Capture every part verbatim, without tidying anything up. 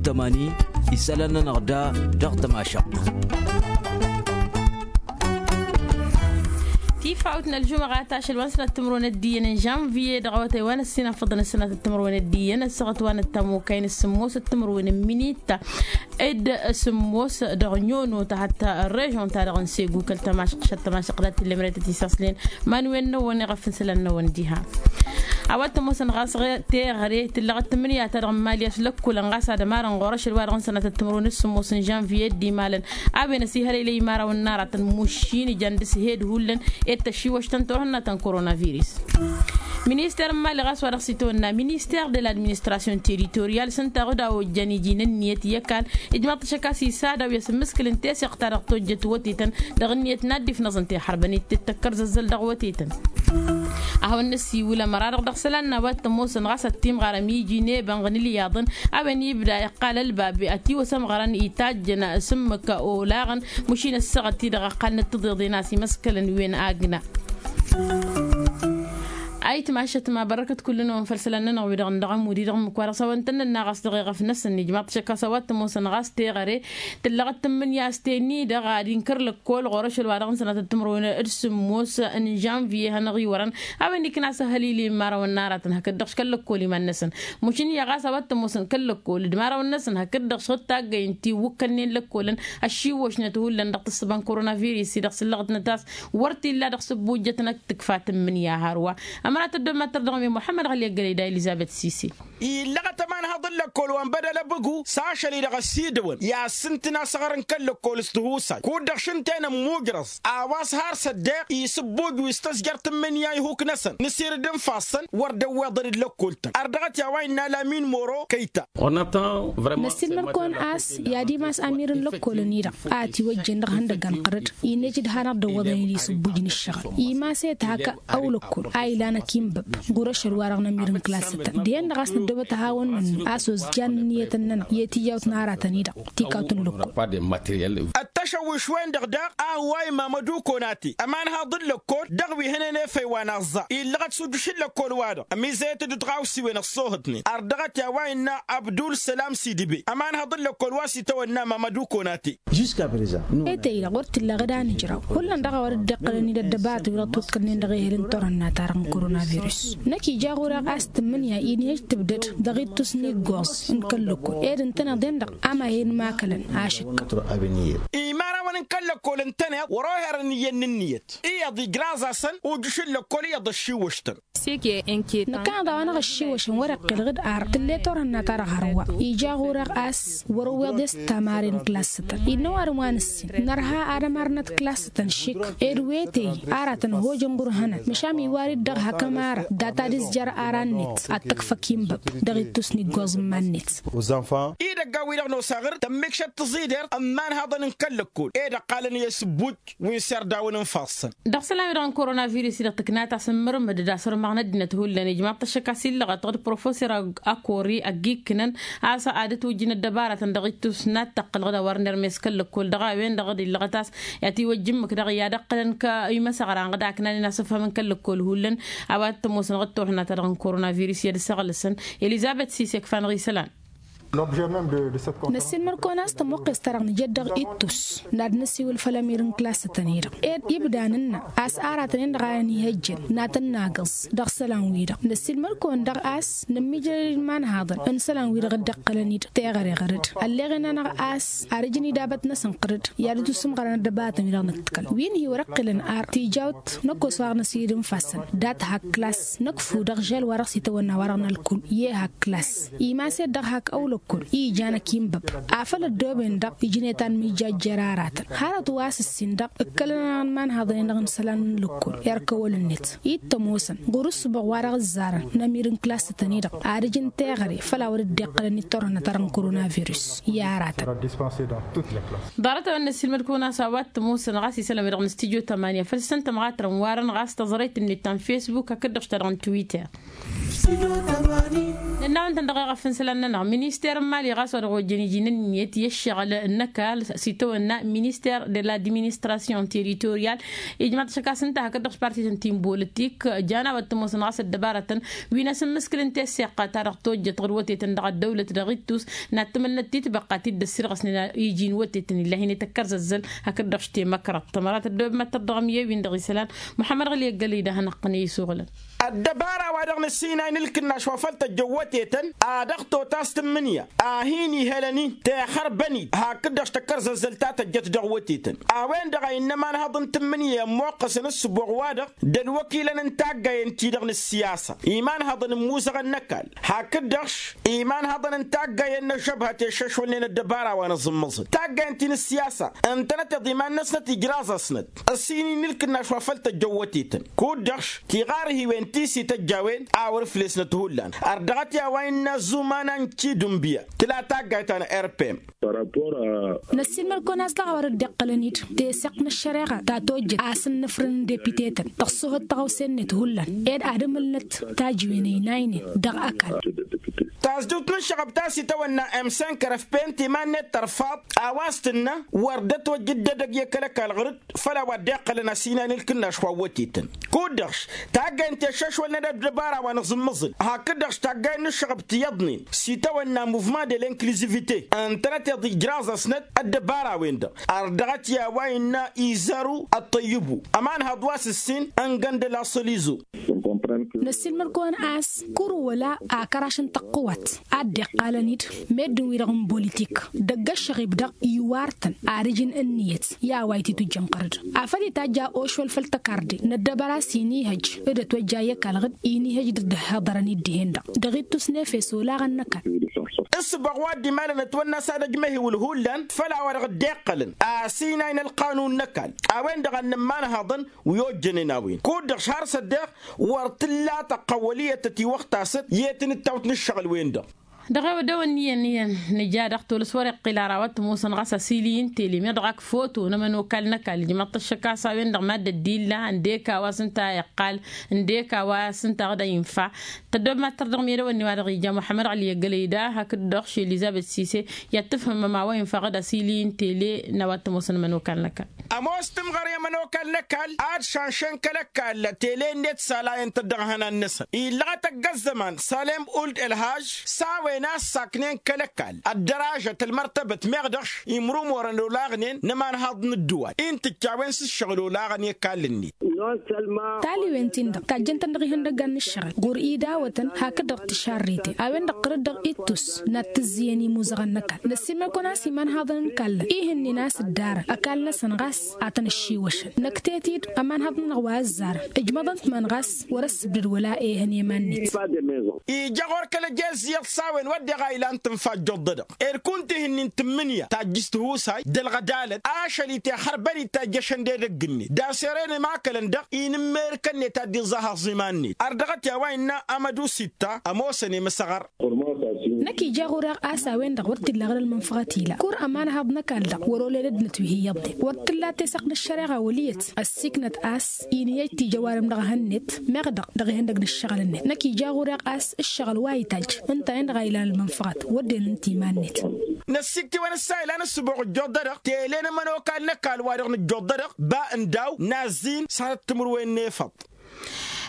Tămani isălan-nănăɣ da dăɣ-tămašăɣt. Tifawt n-ălžumăɣat ašăl wa n-sănat timǝrwen ăddiyyăn n-žănviye dăɣ-awătay wa n-ăssinafăḍăn ăssinat timǝrwen ăddiyyăn ăssaɣăt wa n-ăttamokay n-ăssǝmmos timǝrwen n-minitta ed ăssǝmmos dăɣ-nyono ta hatta ărrežon-ta-dăɣ n-segu kăl-tămašăɣt šăt tămašăɣt dat-tillămret ătisaslen. Manwen n-ăwwăn iɣăf n-isălan n-ăwwăn diha. A-wa t-ămoosăn ɣas teɣăre tǝllăɣăt tǝmmǝnǝya-ta-dăɣ n-imali a-s lăkkolăn ɣas ad-ămarăn ɣur-ašăl wa dăɣ-n sănatăt timǝrwen s-sǝmmos n-žănviye dd-imalăn a-wen ăsihălăylăy imărawăn n-aratăn mušin ijan dăɣ-s hed hullan. Ed tăššiwăštăn turhǝnna ta n-korona virǝs. Minister n-imali ɣas wa dăɣ-s itwănna minister de l'administration territorial s-ǝnta ɣud a ojjan iji n-ǝnniyăt i-ăkall ijmaḍ-t ašăk a-s isadaw i-asǝmmǝskǝl n-teseɣt ta dăɣ-tojjăt wătetăn dăɣ-ǝnniyăt n-ad-dd-ifnăẓ n-tihărbăn ittǝttăkkăr zăzzăl dăɣ-wătetăn. A hawăn-năssiwǝl ămăra-dăɣ dăɣ-isălan n-a-wa t-ămoosăn ɣas ăttimɣarăm iji n-ebănɣ n-ilyaḍăn a-wen ibda iqqal ălbab ătiwăs ămɣărăn itajjăn s-ǝmmǝk olaɣăn. Mušin ăssaɣăt-i-dăɣ ăqqalnăt tǝḍeḍen a-s imăskălăn wen agna. Ayǝtmašăt ma bărrăkăt kull-năwăn făll-isălan-nănăɣ wi-dăɣ n-dăɣ-ămud-i-dăɣ ǝmmǝk wa dăɣ-s a-wa n-tăn-nănna ɣas dăɣ-eɣăf-năsăn ijmaḍ-t šăkk a-s a-wa t-ămoosăn ɣas teɣăre tǝllăɣăt tǝmmǝnǝya a-s tenni-dăɣ ad-inkăr lăkkol ɣur-ašăl wa dăɣ-n sănatăt timǝrwen d-sǝmmos n-žănviye hanăɣ-iwărăn a-wen ikna a-s ăhălil i-imărawăn n-aratăn hakd-dăɣ-š kăl-lăkkol iman-năsăn. Mušǝn iyyăɣ a-s a-wa t-ămoosăn kăl-lăkkol d-imărawăn-năsăn hakd-dăɣ-š taggăyăn tiwǝkkălnen lăkkolăn ăššiwwăšnăt hullan dăɣ-tǝssǝba n-korona virǝs-i dăɣ-sǝllăɣătnăt a-s wăr t-illa dăɣ-sǝbbujjătnăt tǝkfa tǝmmǝnǝya hărwa. Ămărat ăddommăttăr dăɣ-mi muḥămmăd ɣăli ăggălăy da elizăbet sise. Illăɣăt ămanhăḍ n-lăkkol wa n-bădăl ăbǝgu s-ašăl-i-dăɣ ăsidăwăn i-ad-sǝntǝn asăɣăr n-kăl-lăkkol s-tihusay kud-dăɣ šǝntăyăn ămmugrăẓ a-wa s-har s-ăddeɣ isǝbbuj wi s-tăzjăr tǝmmǝnǝya ihuk-năsăn nǝsirǝd ǝnfassăn wăr dd-ăwweḍăn d-lăkkol-tăn. Ărdăɣăt i-a-wa innă lamin moro kăyta. Năssiilmăr-kăwăn a-s i-ad-imas amir n-lăkkolăn-i-dăɣ a ătiwăjjen dăɣ-ihăndăggan ɣărăd. Innă ijǝd hanăɣ-dd-ăwwăḍăn-dd isǝbbuj n-ǝššăɣǝl imas-e-t hak ăw lăkkol a ilan akǝnbăb. Ɣur-ašăl-wa-dăɣ n-amir n-klassătăn dihen-dăɣ a-s năddobăt ad-hawăn-nǝnnu a-s ozjan ǝnniyătăn-nănăɣ i-tiyyawt n-aratăn-i-dăɣ. Tikawt n-lăkkol. Ăttăšăwwiš-wen-dăɣ daɣ a ăwway mamădu konate ămanhaḍ n-lăkkol dăɣ-wi hănen efăy wa n-aẓẓa illăɣăt s-ujǝš n-lăkkol-wa-dăɣ ămizăyăt-dd tɣawsiwen ăṣṣoohătnen ărdăɣăt i-a-wa innă abdul sălam sidibe ămanhaḍ n-lăkkol wa s-itawănna mamădu konate. Etăy-dăɣ wăr t-illa ɣǝd anǝjraw hullan dăɣ-a-wa dd-iqqălăn-dd ăddăbaratăn wi dăɣ-tiwǝḍkălnen dăɣ-ehăl n-turhǝnna-ta-dăɣ n-korona-virus. Năkk ija ɣur-eɣ a-s tǝmmǝnǝya inhăj tǝbdăd dăɣ-ittus n-iggoẓ n-kăl-lăkkol ed ǝntăneḍ-en-dăɣ a ma hin-makălăn ašǝkka. Imărawăn n-kăl-lăkkol ǝntăneḍ wăr-oherăn iyyăn n-ǝnniyăt iyyăḍ ijraẓ-asăn ujǝš n-lăkkol iyyăḍ ăššiwwăš-tăn. Năkkăneḍ a-wa n-aɣ-ăššiwwăšăn wăr-iqqǝl ɣǝd ar tǝll'-e turhǝnna-ta-dăɣ hărwa. Ija ɣur-eɣ a-s wăr-ăwweḍ i-s tamare n-klassătăn innă ăwadǝm wa nǝssin nărha ad-ămarnăt klassătăn šik ed wetey aratăn hojăn ɣur-hănăn măšan iwar-dd dăɣ-hak ămara data d-izjăr ara-net ad-t-ăkf akinbăb dăɣ-ittus n-iggoẓ n-iman-net. Idăggan-wi-dăɣ n-osaɣăr tămmikšăt tăẓidert ămmanhaḍăn n-kăl-lăkkol ed ăqqalăn i-asǝbbuj wi n-serdawăn n-ifassăn. Dăɣ-isălan-wi-dăɣ n-korona virus-i-dăɣ tǝknat a-s ǝmmǝrǝmmăd d-asărmaɣ n-ăddinăt hullan ijmaḍ-t ăššăk a-s illăɣăt dăɣ-professor akori ăgg-ikkǝnăn a-s ad-ătwǝjjǝn ăddăbaratăn dăɣ-ittus n-ad-tăqqǝl ɣǝd a wăr nermes kăl-lăkkol dăɣ-a-wen-dăɣ d-illăɣăt a-s i-ad-t-iwăjj ǝmmǝk dăɣ-i ad-ăqqǝlăn kăy-imăsăɣra n-ɣǝd a ǝknanen asǝfhăm n-kăl-lăkkol hullan. A-wa t-ămoosăn ɣǝd turhǝnna-ta-dăɣ n-korona virus i-ad-săɣlăsăn. Elizăbet sise ǝkfa-năɣ isălan. Năssiilmăr-kăwăn a-s tămoqqes-ta-dăɣ nǝjăd dăɣ-ittus n-ad-năsiwǝl făll-amir n-klassătăn-i-dăɣ ed ibda nǝnnă a-s aratăn-en-dăɣ a ănihăjjăn n-ad-tăn-nagǝẓ dăɣ-isălan-wi-dăɣ năssiilmăr-kăwăn daɣ a-s nǝmmiijrăd i-imanhaḍăn n-isălan-wi-dăɣ dd-iqqălăn-dd teɣăre ɣăr-dd ălleɣen-anăɣ a-s ar ǝjǝn idabăt-năsăn ɣăr-dd i-ad-dd-usǝmɣărăn ăddăbaratăn-wi-dăɣ nǝttǝkăl wi n-hi-wăr-ǝqqǝlăn ar tijawt năkk osăɣ năsidǝnfasăn dat hak klass năkfu dăɣ-žel wa dăɣ-s itawănna wa dăɣ-nălkul i-e hak klass imas-ed dăɣ-hak ăwlăkkol i-ijan ăkinbăb afăl ăddooben-dăɣ ijnet anmijjajjer aratăn hărăt wa s-ǝssin dăɣ-ǝkkălăn-anăɣ n-imanhaḍăn-en-dăɣ n-isălan n-lăkkol erk ăwăl-net ittămosăn ɣur-ǝssǝbăɣ wa dăɣ-ǝzzarăn n-amir n-klassătăn-i-dăɣ ad-ǝjǝn teɣăre făll-a wăr dd-iqqălăn i-turhǝnna-ta-dăɣ n-korona virus i-aratăn. Ḍarăt-a-wen năssiilmăd-kăwăn a-s a-wa t-ămoosăn ɣas isălan-wi-dăɣ n-studyo tămanya făll-săn tămɣatrăn warăn ɣas tăẓrăyt-net ta n-facebook hakd-dăɣ ta dăɣ-n twitter. Nănn-awăn-tăn dăɣ-eɣăf n-isălan-nănăɣ minister n-imali ɣas wa dăɣ-ojjăn iji n-ǝnniyăt i-ǝššăɣǝl n-ăkall s-itawănna minister de l-administration territorial. Ijmaḍ-t ašăk a-s ǝnta hakd-dăɣ s-parti-tăn ti n-bolătik jan a-wa t-ămoosăn ɣas ăddăbarătăn wi n-asǝmmǝskǝl n-tesiqqa ta dăɣ-tojjăt ɣǝr wătetăn dăɣ-ăddăwlăt dăɣ-ittus n-ad-tǝmǝlnăt titbăqqa ti dd-ăssirɣăsnen iji n-wătetăn illa hin-e tăkkărzăzzăl. Hakd-dăɣ š-temăkrăḍt tămărat ăddăwăb mad-tărdăɣăm i-ewin dăɣ-isălan muḥămmăd ɣǝli ăggălăy d-ad-hanăɣ-tăn i-isuɣǝlăn. Ăddăbara wa dăɣ-nǝssinay n-ǝlkǝnnaš wa făl tăjjăn wătetăn a dăɣ-tot a-s tǝmmǝnǝya a hin-ihălăn-in tixărbăn-dd hakd-dăɣ š-tăkkărzăzzăl ta tăjjăt dăɣ-wătetăn. A-wen-dăɣ a innă ămanhăḍ n-tǝmmǝnǝya ămmoqqăsăn ǝssǝboɣ-wa-dăɣ d-ălwăkilăn n-taggayen-ti-dăɣ n-ǝssiyasa imanhăḍăn n-imuzăɣăn n-ăkall hakd-dăɣ š-imanhăḍăn n-taggayen n-ăžžăbhăt i-ăššăšwălnen ăddăbara wa n-aẓǝmmăẓăn taggayen-ti n-ǝssiyasa ǝntănăteḍ iman-năsnăt ijraẓ-asnăt ăssin-in n-ǝlkǝnnaš wa făl tăjjăn wătetăn. Kud-dăɣ š-tiɣarhiwen ti s-ităjj a-wen a wăr-ǝflesnăt hullan. Ardăɣăt i-a-wa innă ăzzuman a n-cidǝnbǝya tǝla taggayt ta n-rpm. Năssiilmăd-kăwăn a-s dăɣ-a-wa dăɣ-dd-iqqălăn-dd teseɣt n-ăššăreɣa ta tojjăt a-s ǝnnǝfrǝn n-depitetăn dăɣ-s ohăt tăɣawse-net hullan ed ad-ǝmǝlnăt tajǝwen ăynaynen dăɣ-ăkall. Tazdukt n-ǝššăɣăb ta s-itawănna m cinq rfp n-timan-net tărfaḍ a-wa s-tǝnnă wăr dd-ătwăjja dd-edăgg i-kăl-ăkall ɣǝr-dd făll-a-wa dd-iqqălăn asinay n-ǝlkǝnnaš wa n-wătetăn. Kud-dăɣ š-taggayen ti ăššăšwălnen ăddăbara wa n-aẓǝmmǝẓǝl hakd-dăɣ š-taggayen n-ǝššăɣăb ti iyyăḍnen s-itawănna muvement de l'inkluzivite ǝntănăteḍ ijraẓ-asnăt ăddăbara-wen-dăɣ. Ardăɣăt i-a-wa innă izaru ăṭṭăyyǝbu ămanhăḍ wa s-ǝssin n-găndăl asălizo. Năssiilmăd-kăwăn a-s kăr-wăla akăraš n-tăqqǝwat a dd-iqqalăn-dd meddǝn-wi-dăɣ n-bolitik dăgg-ăššăɣib-dăɣ iwar-tăn ad-ǝjǝn ǝnniyăt i-a-wa ititujjăn ɣăr-dd. Afăl itajj a ošwăl făll-tăkarde n-ăddăbăra s-inihăj d-ătwăjja i-ăkall ɣǝd inihăj d-dd-ăhhiḍărăn-dd dihen-dăɣ dăɣ-ittus n-efes olaɣăn n-ăkall. Ǝssǝbaɣ wa dd-imalăn ătwănna s-ad-ăjmăhiwǝl hullan făll-a-wa dăɣ-dd-iqqălăn asinay n-ălqanun n-ăkall a-wen-dăɣ a n-nǝmmanhăḍăn wi ojjănen a-wen kud-dăɣ š-har s-ăddeɣ wăr t-tǝlla tăqqăwăl iyyăt tătiwăɣtasăt i-tinǝttawt n-ǝššăɣǝl-wen-dăɣ. Dăɣ-ewădăwăn n-iyyăn iyyăn nǝja dăɣ-tolăs wăr-iqqǝl ara wa t-ămoosăn ɣas asili n-tele meɣ dăɣ-ak foto n-ămănokal n-ăkall ǝjmăḍ-t ăššăk a-s a-wen-dăɣ mad-ăddilla ǝndek a-wa s-ǝnta a iqqal ǝndek a-wa s-ǝnta a dd-infa. Tăddob mad-tărdăɣ medăwănni wa dăɣ-ija muḥămmăd ɣăli i-ăggălăy da hakd-dăɣ š-elizăbet sise i-ad-tǝfhǝmăm a-wa infa ɣǝd asili n-tele n-a-wa t-ămoosăn ămănokal n-ăkall. Ămoos tǝmɣăre n-ămănokal n-ăkall ad-šanšăn kăl-ăkall tele-net s-alayăn-tăt dăɣ-ihănan-năsăn illăɣăt ăgg-ăzzăman salem uld ălhaj s-a-wen a ǝssaknen kăl-ăkall ăddăražăt ălmărtăbăt meɣ dăɣ-š imrumorăn olaɣnen n-ămanhaḍ n-ǝddǝwal intǝjj a-wen s-ǝššăɣǝl olaɣăn i-ăkall-net. Taliwen-tin-dăɣ tajjăn-tăn dăɣ-ihăndăggan n-ǝššăɣǝl ɣur-idawătăn hakd-dăɣ tǝšarreten a-wen-dăɣ ɣǝr-dd dăɣ-ittus n-ad-t-ǝzzǝyăn imuzăɣăn n-ăkall năssiilmăd-kăwăn a-s imanhaḍăn n-kallăn ihǝnnin a-s ǝddarăn ăkall-năsăn ɣas a tăn-ăššiwăšăn năktet-dd ămanhaḍ-nănăɣ wa ăzzarăn ǝjmăḍăn-t iman ɣas wăr-ăssǝbdăd wăla ehăn i-iman-net. Ija ɣur-kăl-ăjezziyyăḍ s-a-wen wădden a ilan tǝnfa ăjjoḍ-dăɣ ed kunta ihǝnnin tǝmmǝnǝya tajjǝs tihusay d-ălɣădalăt ašăl-i tixărbăn-dd tajjăšăn d-edăgg-net d-aseren imakălăn-dăɣ inǝmmerǝkăn-net ad-dd-iẓẓahăẓ iman-net ărdăɣăt i-a-wa innă amădu sitta ămoosăn i-măsăɣăr. Năkk ija ɣur-eɣ a-s a-wen-dăɣ wăr t-illa ɣǝr-ălmănfăɣăt ila kur ămanhaḍ n-ăkall-dăɣ wăr-oled ăddinăt wi hi-iyyăḍnen wăr t-tǝlla teseɣt n-ăššăreɣa wăl' iyyăt ăssiiknăt a-s inǝyyăj tijăwarem dăɣ-ehăn-net meɣ dăɣ-dăɣ ihăndăg n-ǝššăɣǝl-net năkk ija ɣur-eɣ a-s ǝššăɣǝl wa ităjj ǝnta-en-dăɣ a ilan ălmănfăɣăt wădden ǝnta iman-net. Năssiik tiwăn-ǝssa ilan ǝssǝboɣ ǝjjoḍ-dădăɣ tele n-ămănokal n-ăkall wa dăɣ-nǝjjoḍ-dădăɣ ba n-daw n-azzin s-ad-ăttǝmǝrwen n-efăḍ.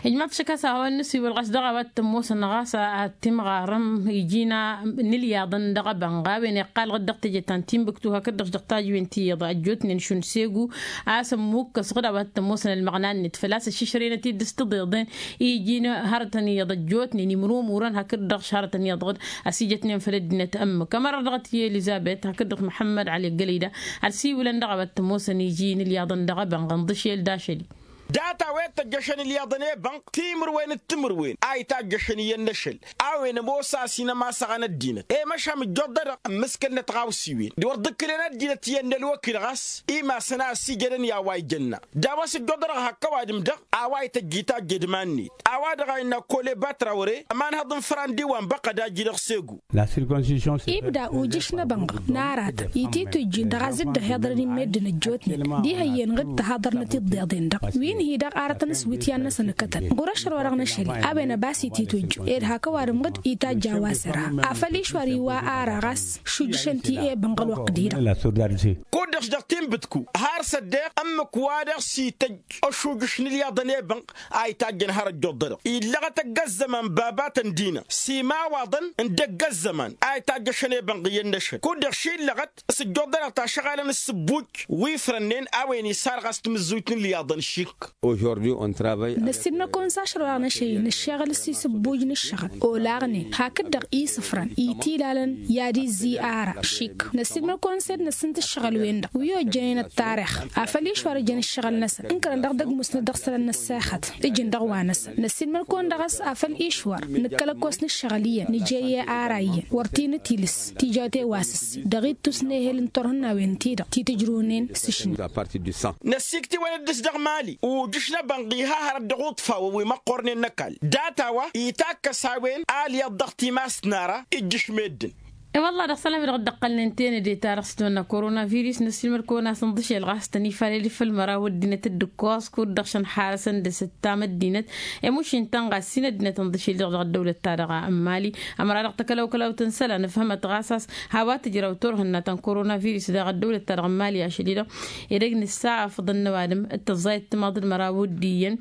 Ijmaḍ-t šăkk a-s a-wa n-nǝsiwǝl ɣas dăɣ-a-wa t-ămoosăn ɣas ad-timɣarăm iji n-ilyaḍăn dăɣ-ebănɣ a-wen iqqal ɣǝd dăɣ-teje ta n-timbǝktu hakd-dăɣ dăɣ-tajǝwen ti iyyăḍ ăjjootnen šund segu a-s ămmukkăs ɣǝd a-wa t-ămoosăn ălmăɣna-net făl-a-s ăššǝšrăynăt-dd s-tiḍeḍen iji n-hărătăn iyyăḍ ăjjootnen imrumurăn hakd-dăɣ š-hărătăn iyyăḍ ɣǝd ăsijătnen făll-ăddinăt ămmǝk ămăra dăɣ-t i-elizăbet hakd-dăɣ muḥămmăd ăli ăggălăy da ălsiwǝlăn dăɣ-a-wa t-ămoosăn iji n-ilyaḍăn dăɣ-ebănɣ ǝnḍǝšel d-ašăl-i. Data-wen tăjjăšăn ilyaḍăn i-ebănk timǝrwen d-timǝrwen a itajjăšăn iyyăn n-ašăl. A-wen ămoos a-s inămasăɣăn ăddinăt i-măšham ǝjjoḍ-dădăɣ ǝmmǝskălnăt ɣawsiwen d-wăr dd-ǝkkǝlăn ăddinăt iyyăn n-ălwăkil ɣas imasăn a ăsijădăn i-a-wa ijănna. D-a-wa s-ǝjjoḍ-dădăɣ hak ăwadǝm dăɣ-a-wa ităjj itajj edman-net a-wa-dăɣ a innă kole batrawre ămanhăḍ n-făran d-iwan băqqăd a iji dăɣ-segu. Ibda ujǝš n-ebănɣ n-aratăn ititujj dăɣ-a zǝddăh iḍrăn i-meddǝn ăjjootnen d-ihăyyen ɣǝd tăhaḍărnăt iḍḍeḍen-dăɣ wi. Ăddinăt-hi-dăɣ arătăn s-wityan-năsăn ǝkkătăn ɣur-ašăl-wa-dăɣ n-ašăl-i a-wen ăbas-ititwăjju ed hak ăwadǝm ɣǝd itajj a-wa s-ăra. Afăl išwăr iwa ara ɣas šujjǝšăn ti-ebănɣ ălwăqq-di-dăɣ. Kud-dăɣ s-dăɣ tinbǝtku har s-ăddeɣ ǝmmǝk wa dăɣ-s ităjj ăšujjǝš n-ǝlyaḍăn ebănɣ a itajjăn har ăjjoḍ-dăɣ illăɣăt ăgg-ăzzăman babatăn d-ină s-imawaḍăn n-dăgg-ăzzăman a itajjăšăn ebănɣ iyyăn n-ašăl kud-dăɣ šillăɣăt s-ǝjjoḍ-dăɣ tašăɣalăn s-sǝbbuj wi ifrănnen a-wen isar ɣas tamǝzzuyt n-ǝlyaḍăn šik. Năssiilmăl-kăwăn s-ašăl-wa-dăɣ n-ašăl-i nǝššeɣǝl s-isǝbbuj n-ǝššăɣǝl olaɣnen hakd-dăɣ isǝfrăn itilalăn i-ad-izzi ara šik. Năssiilmăl-kăwăn s-ed năssǝnt ǝššăɣǝl-wen-dăɣ wi ojjănen ăttarix afăl išwăr ǝjăn ǝššăɣǝl-năsăn ǝnkărăn dăɣ-dăgg-musnăt dăɣ-isălan n-ăssexăt ǝjǝn dăɣ-wa-năsăn. Năssiilmăl-kăwăn dăɣ-s afăl išwăr nǝkkăl-ăkkoos n-ǝššăɣǝl iyyăn nǝjăyye ara iyyăn wăr t-inǝtilǝs tijawte wa s-ǝssin dăɣ-ittus n-ehel n-turhǝnnawen-ti-dăɣ ti tǝjrǝwnen s-ašni. Năssiiktǝwăn-dd s-dăɣ mali ujǝš n-ebănɣ iha hărăt dăɣ-uṭfawăn wi măqqornen n-ăkall data-wa itakkăs a-wen alyaḍ dăɣ-timast n-ara ijjǝš meddǝn. I-wălla dăɣ-isălan-wi-dăɣ dd-ăqqălnen tenăde-ta-dăɣ s-tăwănna koronavirus năssiilmăd-kăwăn-as ǝnḍǝšel ɣas tăn-ifalăl i-făll-măraw ăddinăt dd-ǝkkoẓ kud-dăɣ šăn harăsăn dăɣ-s ǝttam ăddinăt i-mušin-tăn ɣas s-in ăddinăt ǝnḍǝšel-i-dăɣ dăɣ-ăddăwlăt-ta-dăɣ n-mali. Ămăra dăɣ-takălăw-kălăw tǝnsăla nǝfhămăt ɣas a-s hawăn-tǝjraw turhǝnna ta n-koronavirus dăɣ-ăddăwlăt-ta-dăɣ n-mali ašăl-i-dăɣ edăgg nǝssa afǝḍăn n-ăwadǝm d-tăẓẓayăt timaḍ d-măraw d-iyyăn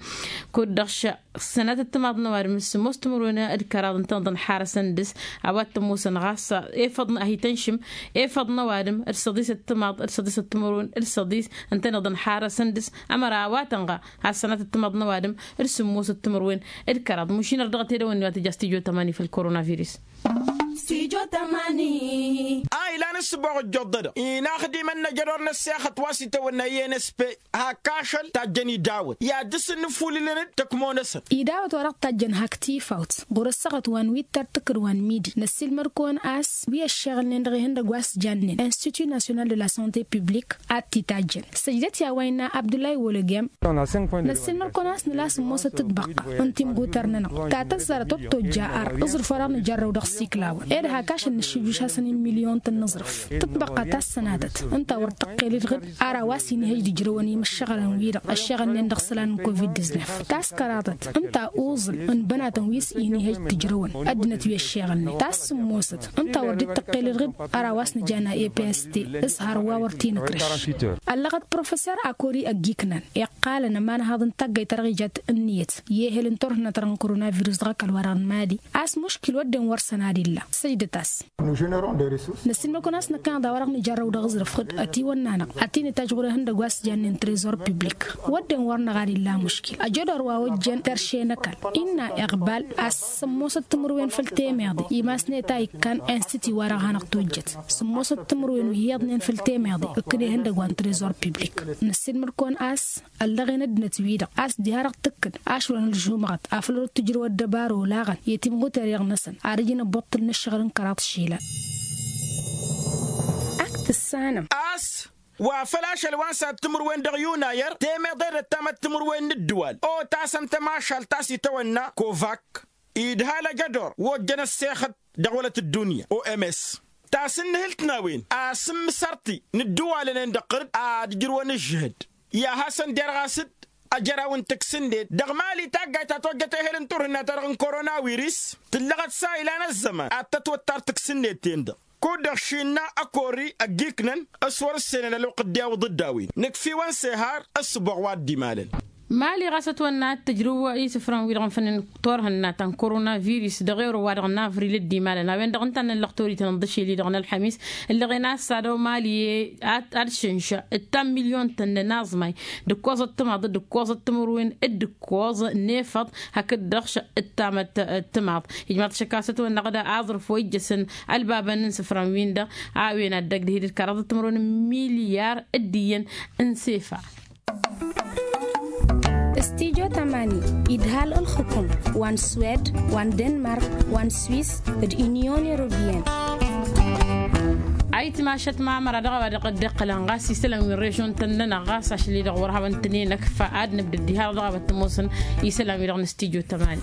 kud-dăɣ š-sănatăt timaḍ n-ăwadǝm d-sǝmmos timǝrwen d-kăraḍ ǝntăneḍ ănḥarăsăn dăɣ-s. A-wa t-ămoosăn ɣas efăḍ n-ahitănšǝm efăḍ n-ăwadǝm d-săḍisăt timaḍ d-săḍisăt timǝrwen d-săḍis ǝntăneḍ ănḥarăsăn dăɣ-s. Ămăra a-wa tănɣa has-sănatăt timaḍ n-ăwadǝm d-sǝmmosăt timǝrwen d-kăraḍ mušin ar dăɣ-tedăwănni wa tǝja s-tijo tămani făll-koronavirus. A ilan ǝssǝboɣ ǝjjoḍ-dăɣ inaxdimăn n-ajădor n-ăssexăt wa s-itawănna i-n s p hak ašăl tajjăn idawăt i-ad-dăr-s ǝnnǝfulǝlăn-dd tăkmo-năsăn. Idawăt wa dăɣ-tajjăn hak tifawt ɣur-ăssaɣăt wa n-wittăr tǝkkǝd wa n-midi năssiilmăd-kăwăn a-s wi ăššeɣǝlnen dăɣ-ihăndăgg wa s-jannen institut national de la sante publik ad-t-itajjăn săjdăt i-a-wa innă abdullahi wolăgem. Năssiilmăd-kăwăn a-s nǝla sǝmmosăt tǝtbăqqa n-timɣutăr-nănăɣ ta tăzzarăt wăr tojja arr ǝẓrǝf wa dăɣ-nǝjărrăw dăɣ-siklawăn ed hak ašăl nǝššǝjjuš-asăn i-milyon tăn-nǝẓrǝf tǝtbăqqa ta s-sănatăt ǝnta wăr tăqqel idɣǝd ara wa s-inihăj d-ijrăwăn imǝššăɣălăn-wi-dăɣ ăššeɣǝlnen dăɣ-isălan n-covid-diznef ta s-kăraḍăt ǝnta uẓǝl n-bănatăn wi s-inihăj d-ijrăwăn ăddinăt wi ăššeɣǝlnen ta s-sǝmmosăt ǝnta wăr dd-tăqqel idɣǝd ara wa s-nǝjana epst s-hărwa wăr t-inǝkrǝš. Ăllăɣăt professor akori ăgg-iknan iqqalăn ămanhaḍ n-taggayt ta dăɣ-ijat ǝnniyăt i-ehel n-turhǝnna ta dăɣ-n koronavirus dăɣ-ăkall-wa-dăɣ n-mali a-s muškil wădden wăr săn ad-illa săjdăt-as. Năssiilmăd-kăwăn a-s năkkăneḍ a-wa dăɣ-nǝjărrăw dăɣ-aẓrǝf ɣǝd ătiwănna-năɣ ătinǝtajj ɣur-ehăndăgg wa s-jannen trezor publik wădden wăr năɣ ad-illa muškil ăjădor wa ojjen terše n-ăkall innă iɣbal a-s sǝmmosăt timǝrwen făll-temeḍe imasnet a ikkan institut wa dăɣ-hanăɣ-tojjăt sǝmmosăt timǝrwen wi hi-iyyăḍnen făll-temeḍe ǝkkǝn ehăndăgg wa n-trezor publik. Năssiilmăd-kăwăn a-s ăllăɣen ăddinăt-wi-dăɣ a-s diha-dăɣ tǝkkǝd ašwălăn ǝlžumăɣăt afăl wăr t-ǝjrǝw ăddăbară olaɣăn i-timɣuter-iɣ-năsăn ad-ǝjǝn ăbbuṭṭǝl n-ǝššăɣǝl n-kăraḍ išilan. Ak tǝssanăm a-s wa făl ašăl wa n-sad-timǝrwen dăɣ-yunayăr temeḍe d-ăttamăt timǝrwen n-ǝddǝwal otasăn tămašalt ta s-itawănna kovak idhal ăjădor wa ojjăn ăssexăt dăɣ-wălăt ăddunya oms tasǝnnǝhǝlt n-a-wen asǝmmǝsărti n-ǝddǝwalăn-en-dăɣ ɣǝr-dd ad-ǝjrǝwăn ǝžžǝhǝd i-ad-hasăn-derɣas-dd ăjăraw n-tǝksǝnnet dăɣ-mali taggayt ta tojjăt ehel n-turhǝnna-ta-dăɣ n-korona wiris tǝllăɣăt s-a ilan ăzzăman ad-tătwăttar tǝksǝnnet-ten-dăɣ kud-dăɣ šinnă ăkori ăgg-iknăn s-wăr-ǝssenăn ălwăqq dd-iwǝḍ dd-a-wen nǝkf'-iwăn sehar. S-sǝboɣ wa dd-imalăn. Mali ɣas ătwănna ad-tǝjrǝw isǝfran-wi-dăɣ n-fănnen turhǝnna ta n-korona virus dăɣ-ewrăw wa dăɣ-n avril dd-imalăn a-wen-dăɣ ǝnta a năllăɣ torităn n-iḍǝšel-i-dăɣ n-ălḥămis ǝllăɣen a-s ad-ăw mali ad-šǝnša ǝttam milyon-tăn n-aẓmay d-ǝkkoẓăt timaḍ d-ǝkkoẓăt timǝrwen d-ǝkkoẓ n-efăḍ hakd-dăɣ š-ǝttamăt timaḍ. Ijmaḍ-t šăkk a-s ătwănna ɣǝd aẓrǝf wa ijjăsăn ălbabăn n-isǝfran-win-dăɣ a-wen ad-dăgg-dăhidăt kăraḍăt timǝrwen n-milyar d-iyyăn n-sefa. Stijo tamani idhal ǝlxǝkum wa n-swed wa n-denmark wa n-swis d-inyon europiyăn. Ayǝtmašăt mamăra dăɣ-a-wa dăɣ-dd-iqqălăn ɣas isălan wi n-režion-tăn-nănăɣ ɣas ašăl-i-dăɣ wăr hawăn-tăn-in-ăkfa ad-nǝbdăd diha-dăɣ dăɣ-a-wa t-ămoosăn isălan-wi-dăɣ n-stijo tamani.